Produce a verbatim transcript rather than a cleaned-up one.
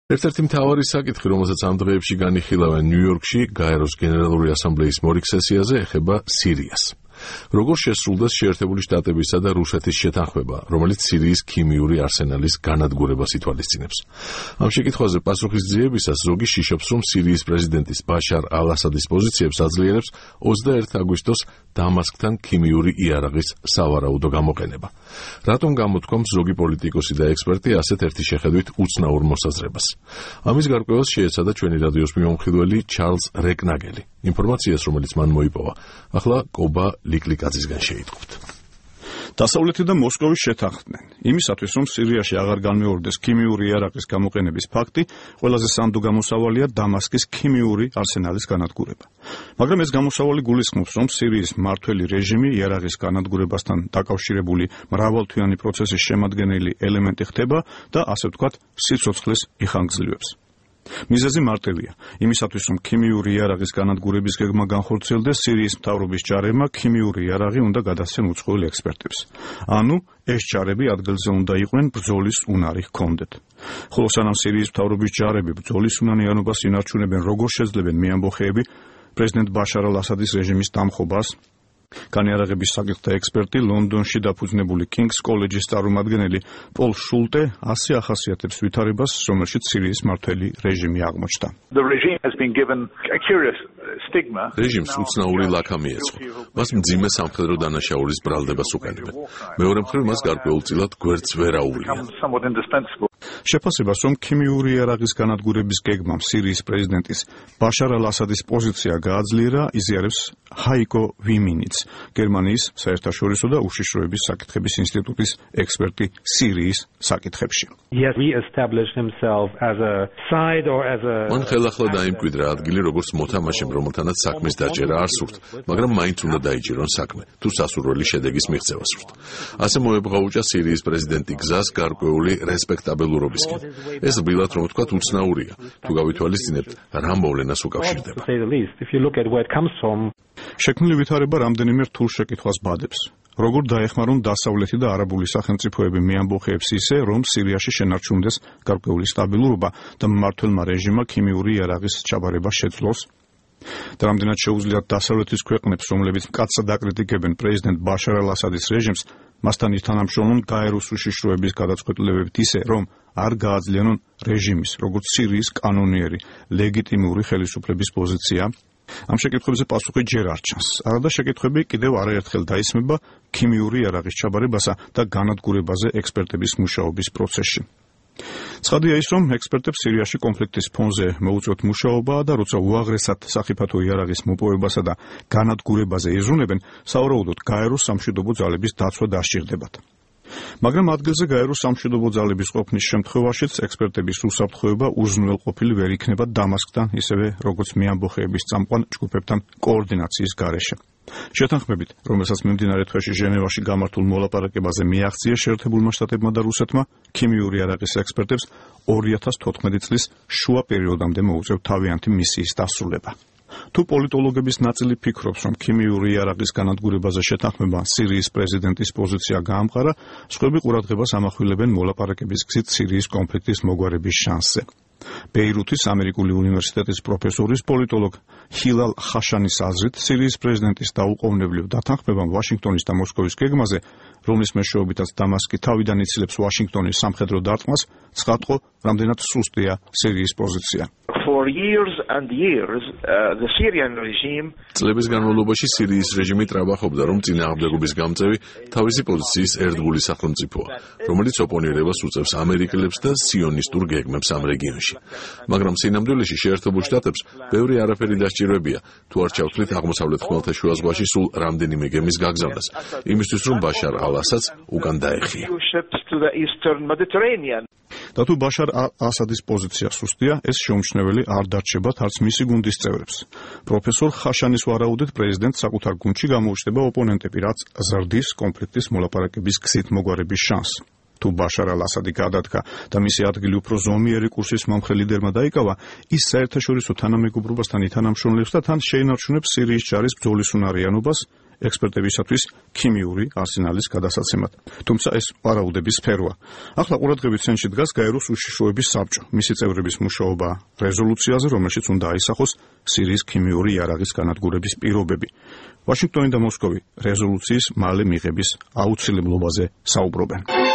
ერთ-ერთი მთავარი საკითხი, რომელსაც ამ დღეებში განიხილავენ ნიუ-იორკში გაეროს გენერალური ასამბლეის მორიგ სესიაზე, ეხება სირიას. Როგორ შესრულდა შეერთებული შტატებისა და რუსეთის შეთანხმება, რომელიც სირიის ქიმიური არსენალის განადგურებას ითვალისწინებს. Ამ შეკითხვაზე პასუხისძიებისას ზოგი შიშობს, რომ სირიის პრეზიდენტის ბაშარ ალ-ასადის პოზიციებს აძლიერებს ოცდაერთი აგვისტოს დამასკთან ქიმიური იარაღის სავარაუდო გამოყენება. Რატომ გამოთქვამს ზოგი პოლიტიკოსი და ექსპერტი ასეთ ერთი შეხედვით უცნაურ მოსაზრებას? Ამის გარკვევას შეეცადა ჩვენი რადიოს მიმომხილველი ჩარლზ რეკნაგელი. ინფორმაციას, რომელიც მან მოიპოვა, ახლა კობა ლიკლიკაძისგან შეიტყობთ. დასავლეთი და მოსკოვი შეთანხმდნენ იმისათვის, რომ სირიაში აღარ განმეორდეს ქიმიური იარაღის გამოყენების ფაქტი, ყველაზე სანდო გამოსავალია დამასკის ქიმიური არსენალის განადგურება. მაგრამ ეს გამოსავალი გულისხმობს, რომ სირიის მმართველი რეჟიმი იარაღის განადგურებასთან დაკავშირებული მრავალთვიანი პროცესის შემადგენელი ელემენტი ხდება და ასე ვთქვათ, სიცოცხლეს იხანგრძლივებს. მიზეზი მარტივია. იმისათვის, რომ ქიმიური იარაღის განადგურების გეგმა განხორციელდეს, სირიის მთავრობის ჯარებმა ქიმიური იარაღი უნდა გადასცენ უცხოელ ექსპერტებს. ანუ ეს ჯარები ადგილზე უნდა იყვნენ ბრძოლის უნარი ჰქონდეთ. ხოლო სანამ სირიის მთავრობის ჯარები ბრძოლის უნანიანობას ინარჩუნებენ, როგორ შეძლებენ მეამბოხეები პრეზიდენტ ბაშარ ალ-ასადის რეჟიმის დამხობას? განიარაღების საკითხთა ექსპერტი, ლონდონში დაფუძნებული კინგს კოლეჯის წარმომადგენელი პოლ შულტე ასე ახასიათებს ვითარებას, რომელშიც სირიის მმართველი რეჟიმი აღმოჩნდა. რეჟიმს უცნაური ლაქა მიეწყო. მას მძიმე სამხედრო დანაშაულის ბრალდებას უყენებენ. მეორე მხრივ მას გარკვეულწილად გვერდს ვერ აუვლიან. შეფასებას, რომ ქიმიური იარაღის განადგურების გეგმამ სირიის პრეზიდენტის ბაშარ ალ-ასადის პოზიცია გააძლიერა, იზიარებს ჰაიკო ვიმინიც, გერმანიის საერთაშორისო და უშიშროების საკითხების ინსტიტუტის ექსპერტი სირიის საკითხებში. მან ხელახლა დაიმკვიდრა ადგილი, როგორც მოთამაშემ, რომელთანაც საქმის დაჭერა არ სურთ, მაგრამ მაინც უნდა დაიჭირონ საქმე, თუ სასურველი შედეგის მიღწევა სურთ. ასე მოებღაუჭა სირიის პრეზიდენტი გზას გარკვეული რესპექტაბელურობისკენ. ეს რბილად რომ ვთქვათ, უცნაურია, თუ გავითვალისწინებთ, რა მოვლენას უკავშირდება. შექმნილი ვითარება რამდენიმე რთულ შეკითხვას ბადებს. როგორ დაეხმარონ დასავლეთი და არაბული სახელმწიფოები მეამბოხეებს ისე, რომ სირიაში შენარჩუნდეს გარკვეული სტაბილურობა და მმართველმა რეჟიმმა ქიმიური იარაღის ჩაბარება შეძლოს? და რამდენად შეუძლიათ დასავლეთის ქვეყნებს, რომლებიც მკაცრად აკრიტიკებენ პრეზიდენტ ბაშარ ალ-ასადის რეჟიმს, მასთან ითანამშრომლონ გაეროს უშიშროების გადაწყვეტილებებით ისე, რომ არ გააძლიერონ რეჟიმის, როგორც სირიის კანონიერი, ლეგიტიმური ხელისუფლების პოზიცია? ამ შეკითხვებზე პასუხი ჯერ არ ჩანს. არადა შეკითხვები კიდევ არაერთხელ დაისმება ქიმიური იარაღის ჩაბარებასა და განადგურებაზე ექსპერტების მუშაობის პროცესში. ცხადია ის, რომ ექსპერტებს სირიაში კონფლიქტის ფონზე მოუწევთ მუშაობა და როცა უაღრესად სახიფათო იარაღის მოპოვებასა და განადგურებაზე იზრუნებენ, სავარაუდოდ გაეროს სამშვიდობო ძალების დაცვა დასჭირდებათ. მაგრამ ადგილზე გაეროს სამშვიდობო ძალების ყოფნის შემთხვევაშიც ექსპერტების უსაფრთხოება უზრუნველყოფილი ვერ იქნება დამასკთან, ისევე როგორც მეამბოხეების წამყვან ჯგუფებთან კოორდინაციის გარეშე. შეთანხმებით, რომელსაც მიმდინარე თვეში ჟენევაში გამართულ მოლაპარაკებაზე მიაღწია შეერთებულმა შტატებმა და რუსეთმა, ქიმიური იარაღის ექსპერტებს ორი ათას თოთხმეტი წლის შუა პერიოდამდე მოუწევთ თავიანთი მისიის დასრულება. თუ პოლიტოლოგების ნაწილი ფიქრობს, რომ ქიმიური იარაღის განადგურებაზე შეთანხმება სირიის პრეზიდენტის პოზიცია გაამყარა, სხვები ყურადღებას ამახვილებენ მოლაპარაკების გზით სირიის კონფლიქტის მოგვარების შანსზე. ბეირუთის ამერიკული უნივერსიტეტის პროფესორის პოლიტოლოგ ჰილალ ხაშანის აზრით, სირიის პრეზიდენტის დაუყოვნებლივ დათანხმებამ ვაშინგტონის და მოსკოვის გეგმაზე, რომლის მეშვეობითაც დამასკი თავიდან იცილებს ვაშინგტონის სამხედრო დარტყმას, ცხადყო, რამდენად სუსტია სირიის პოზიცია. წლების განმავლობაში სირიის რეჟიმი ტრაბახობდა, რომ წინააღმდეგობის გამწევი თავისი პოზიციის ერთგული სახელმწიფოა, რომელიც ოპონირებას უწევს ამერიკელებს და სიონისტურ გეგმებს ამ რეგიონში. მაგრამ სინამდვილეში შეერთებულ შტატებს ბევრი არაფერი დასჭირვებია, თუ არ ჩავთვლით აღმოსავლეთ ხმელთაშუა ზღვაში სულ რამდენიმე გემის გაგზავნას, იმისთვის რომ ბაშარ ალ-ასადს უკან დაეხია. და თუ ბაშარ ალ-ასადის პოზიცია სუსტია, ეს შეუმჩნეველი არ დარჩებათ არც მისი გუნდის წევრებს. პროფესორ ხაშანის ვარაუდით, პრეზიდენტს საკუთარ გუნდში გამოუჩნდება ოპონენტები, რაც ზრდის კონფლიქტის მოლაპარაკების გზით მოგვარების შანსს. თუ ბაშარ ალ-ასადი გადადგა და მისი ადგილი უფრო ზომიერი კურსის მომხრე ლიდერმა დაიკავა, ის საერთაშორისო თანამეგობრობასთან ითანამშრომლებს და თან შეინარჩუნებს სირიის ჯარის ბრძოლის უნარიანობას ექსპერტებისათვის ქიმიური არსენალის გადასაცემად. თუმცა ეს ვარაუდების სფეროა. ახლა ყურადღების ცენტრში დგას გაეროს უშიშროების საბჭო. მისი წევრების მუშაობა რეზოლუციაზე, რომელშიც უნდა აისახოს სირიის ქიმიური იარაღის განადგურების პირობები. ვაშინგტონი და მოსკოვი რეზოლუციის მალე მიღების აუცილებლობაზე საუბრობენ.